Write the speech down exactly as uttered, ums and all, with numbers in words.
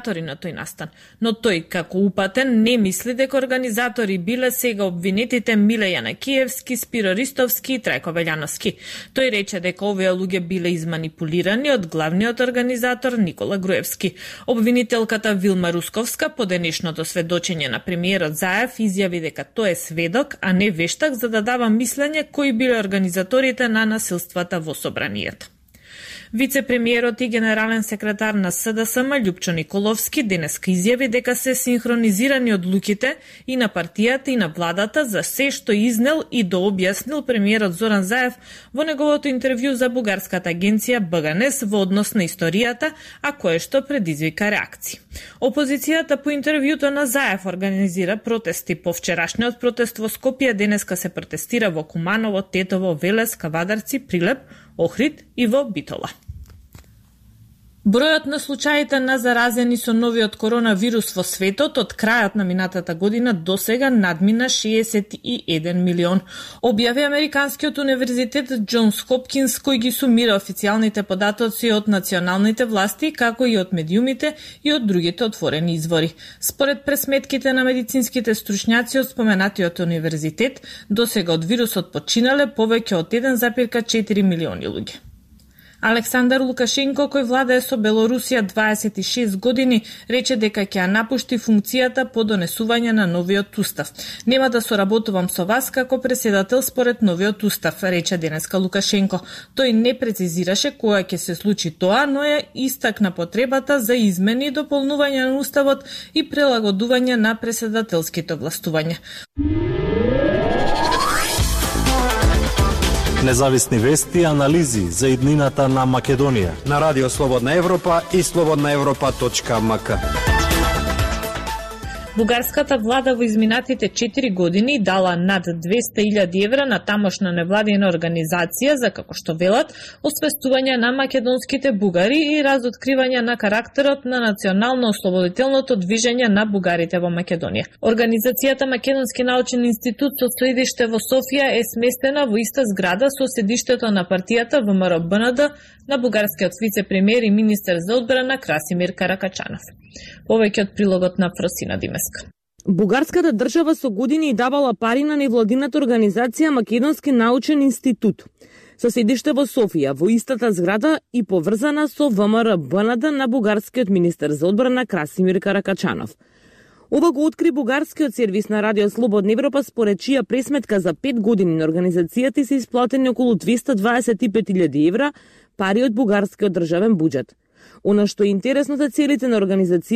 организатори на тој настан, но тој како упатен не мисли дека организатори биле сега обвинетите Миле Јанакиевски, Спиро Ристовски и Трајко Велјановски. Тој рече дека овие луѓе биле изманипулирани од главниот организатор Никола Груевски. Обвинителката Вилма Русковска по денешното сведочење на премиерот Заев изјави дека тој е сведок, а не вештак, за да дава мислење кои биле организаторите на насилствата во собранието. Вице-премиерот и генерален секретар на С Д С М Љупчо Николовски денеска изјави дека се синхронизирани одлуките и на партијата и на владата за се што изнел и дообјаснил премиерот Зоран Заев во неговото интервју за бугарската агенција Б Г Н Е С во однос на историјата, а кое што предизвика реакции. Опозицијата по интервјуто на Заев организира протести. По вчерашниот протест во Скопје денеска се протестира во Куманово, Тетово, Велес, Кавадарци, Прилеп, Охрид и во Битола. Бројот на случаите на заразени со новиот коронавирус во светот од крајот на минатата година до сега надмина шеесет и еден милион. Објави Американскиот универзитет Џонс Хопкинс, кој ги сумира официјалните податоци од националните власти, како и од медиумите и од другите отворени извори. Според пресметките на медицинските стручњаци од споменатиот универзитет, до сега од вирусот починале повеќе од еден запирка четири милиони луѓе. Александар Лукашенко, кој владее со Белорусија дваесет и шест години, рече дека ќе ја напушти функцијата по донесување на новиот устав. Нема да соработувам со вас како преседател според новиот устав, рече денеска Лукашенко. Тој не прецизираше кога ќе се случи тоа, но ја истакна потребата за измени и дополнување на уставот и прилагодување на преседателските властувања. Независни вести и анализи за иднината на Македонија на Радио Слободна Европа и слободна европа точка ем ка. Бугарската влада во изминатите четири години дала над двесте илјади евра на тамошна невладина организација за, како што велат, освестување на македонските бугари и разоткривање на карактерот на национално-ослободителното движење на бугарите во Македонија. Организацијата Македонски научен институт со седиште во Софија е сместена во иста зграда со седиштето на партијата Вэ М Р Б Н Д на бугарскиот вице-премиер и министер за одбрана Красимир Каракачанов. Повеќе од прилогот на Фросина Димеска. Бугарската држава со години давала пари на невладината организација Македонски научен институт, со седиште во Софија, во истата зграда и поврзана со Вэ М Р Б Н Д на бугарскиот министер за одбрана Красимир Каракачанов. Ова го откри бугарскиот сервис на Радио Слободна Европа, според чија пресметка за пет години на организацијата се исплатени околу двесте дваесет и пет илјади евра пари од бугарскиот државен буџет. Она што е интересно за целите на организацијата